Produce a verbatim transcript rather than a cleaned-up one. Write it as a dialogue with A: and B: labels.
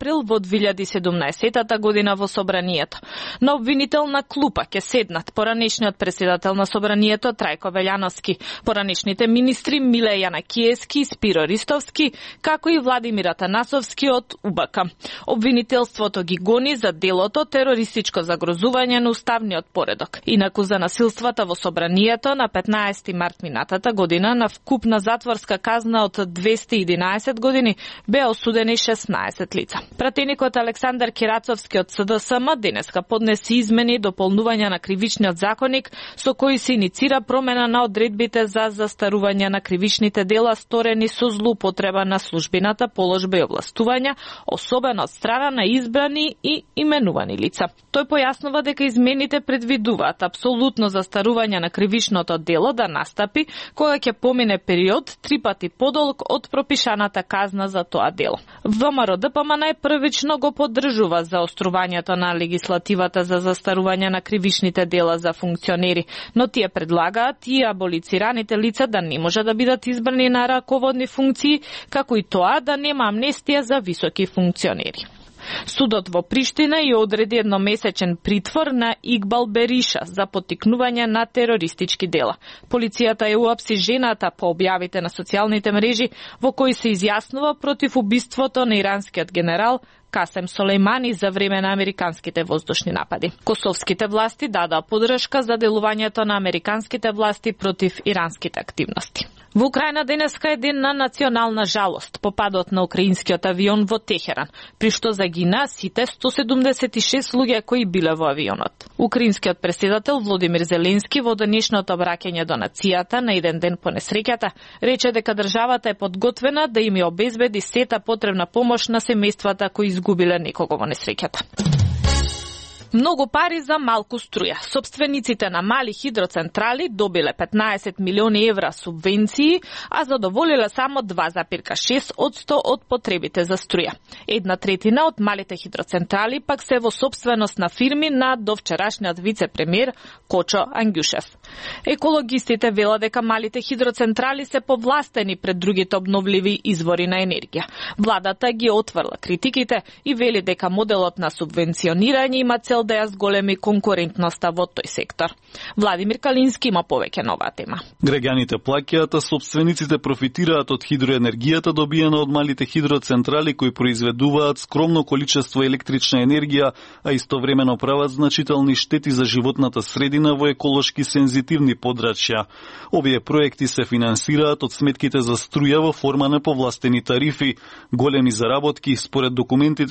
A: април во две илјади и седумнаесетта година во собранието. На обвинител на клупа ќе седнат поранешниот претседател на собранието Трајко Велјановски, поранешните министри Миле Јанакиевски и Спиро Ристовски, како и Владимир Атанасовски од У Б К. Обвинителството ги гони за делото терористичко загрозување на уставниот поредок. Инаку за насилствата во собранието на петнаесети март минатата година на вкупна затворска казна од двесте и единаесет години беа осудени шеснаесет лица. Пратеникот Александар Кирацовски од С Д С М денеска поднеси измени и дополнување на кривичниот законник со кои се иницира промена на одредбите за застарување на кривичните дела сторени со злоупотреба на службената положба и овластувања, особено од страна на избрани и именувани лица. Тој појаснува дека измените предвидуваат апсолутно застарување на кривичното дело да настапи кога ќе помине период три пати подолг од пропишаната казна за тоа дело. В М Р Д П М најпрвично го поддржува заострувањето на легислативата за застарување на кривичните дела за функционери, но тие предлагаат и аболицираните лица да не може да бидат избрани на раководни функции, како и тоа да нема амнестија за високи функционери. Судот во Приштина ја одреди едномесечен притвор на Игбал Бериша за поттикнување на терористички дела. Полицијата ја уапси жената по објавите на социјалните мрежи во кои се изјаснува против убиството на иранскиот генерал Касем Солејмани за време на американските воздушни напади. Косовските власти дадоа поддршка за делувањето на американските власти против иранските активности. Во Украина денеска е ден на национална жалост по падот на украинскиот авион во Техеран, при што загина сите сто седумдесет и шест луѓе кои биле во авионот. Украинскиот претседател Володимир Зеленски во денешното обраќање до нацијата на еден ден по несреќата рече дека државата е подготвена да им ја обезбеди сета потребна помош на семејствата кои изгубиле некого во несреќата. Многу пари за малку струја. Собствениците на мали хидроцентрали добиле петнаесет милиони евра субвенции, а задоволиле само два запирка шест одсто од потребите за струја. Една третина од малите хидроцентрали пак се во собственост на фирми на довчерашниот вице-премиер Кочо Ангјушев. Екологистите велат дека малите хидроцентрали се повластени пред другите обновливи извори на енергија. Владата ги отврла критиките и вели дека моделот на субвенционирање има цел да ја зголеми конкурентноста во тој сектор. Владимир Калински има повеќе на оваа тема.
B: Граѓаните плаќаат, а собствениците профитираат од хидроенергијата добиена од малите хидроцентрали кои произведуваат скромно количество електрична енергија, а истовремено прават значителни штети за животната средина во еколошки сензитивни подрачја. Овие проекти се финансираат од сметките за струја во форма на повластени тарифи. Големи заработки според документите